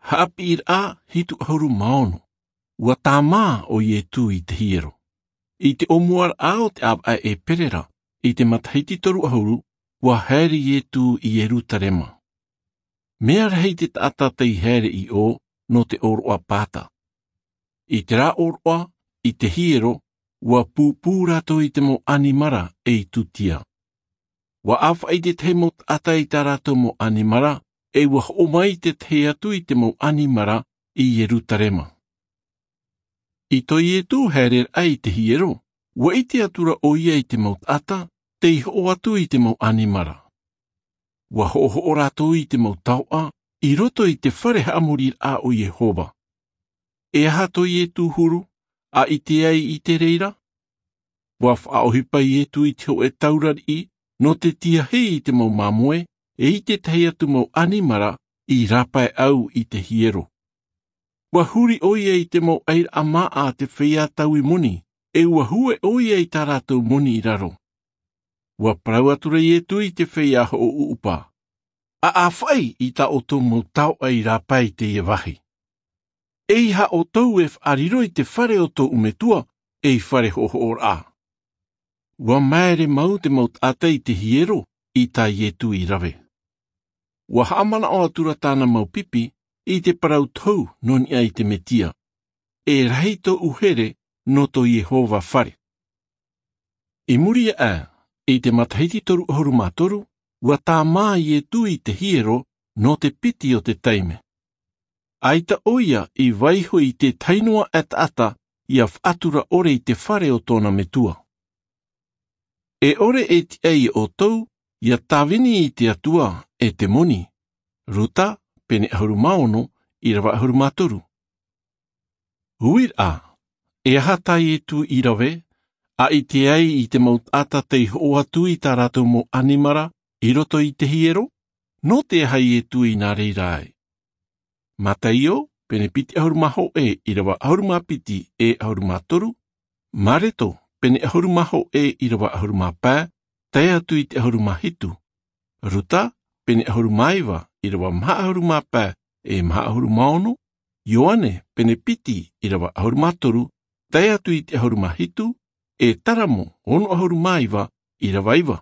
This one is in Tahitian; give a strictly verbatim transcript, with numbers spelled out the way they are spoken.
Haʻapiʻiraʻa hitu ʻahuru mā ono. Ua tāmā ʻo Ietu i te hiero. I te ʻōmuaraʻa o te ʻāvaʻe e pere ra, i te matahiti toru ʻahuru, ua haere Ietu i Ierutarema. Mea rahi te taʻata tei haere i ʻō nō te ʻōroʻa pāta. I te rā ʻōroʻa, i te hiero, ua pūpū rātou i te mau ʻanimara e i tūtia. Ua ʻāfaʻi tētahi mau taʻata i tā rātou mau ʻanimara, e ua hoʻo mai tētahi atu i te mau ʻanimara i Ierutarema. I tō Ietu haereraʻa i te hiero, ua ʻite atu ra ʻoia i te mau taʻata tei hoʻo atu i te mau ʻanimara. Ua hoʻohoʻo rātou i te mau taoʻa i roto i te fare haʻamoriraʻa o Iehova. E aha tō Ietu huru, a ʻite ai i te reira? Ua faʻaʻohipa Ietu i te hōʻē taura riʻi nō te tiahi i te mau māmoe, e i tētahi atu mau ʻanimara i rāpae au i te hiero. Ua huri ʻoia i te mau ʻairaʻa māʻa a te feiā taui moni, e ua hue ʻoia i tā rātou moni i raro. Ua parau atu ra Ietu i te feiā hoʻoʻuʻupa, ʻa ʻāfaʻi i tā ʻoutou mau taoʻa i rāpae i teie vāhi. ʻEiaha ʻoutou e faʻariro i te fare o tōʻu metua, ei fare hoʻohoʻoraʻa. Ua māere mau te mau taʻata i te hiero i tā Ietu i rave. Ua haʻamanaʻo atu ra tāna mau pipi i te parau tohu nō niʻa i te Mesia, e rahi tōʻu here nō tō Iehova fare. I muri aʻe, i te matahiti toru ʻahuru mā toru, ua tāmā Ietu i te hiero nō te piti o te taime. ʻAita ʻoia i vaiiho i tētahi noa e taʻata ia faʻatura ʻore i te fare o tōna metua. E ʻore e tiʻa ia ʻoutou ia tāvini i te Atua e te moni. Ruta, pene ʻahuru mā ono, ʻīrava ʻahuru mā toru. Uiraʻa, e aha tā Ietu i rave, a ʻite ai i te mau taʻata tei hoʻo atu i tā rātou mau ʻanimara i roto i te hiero? Nō te aha Ietu i nā reira ai? Mataio, pene piti ʻahuru mā hōʻē, ʻīrava ʻahuru mā piti e ʻahuru mā toru. Mareko, pene ʻahuru mā hōʻē, ʻīrava ʻahuru mā pae, tae atu i te ʻahuru mā hitu. Ruta, pene ʻahuru mā iva, ʻīrava maha ʻahuru mā pae e maha ʻahuru mā ono. Ioane, pene piti, ʻīrava ʻahuru mā toru, tae atu i te ʻahuru mā hitu. E Taramo, ono ʻahuru mā iva, ʻīrava iva.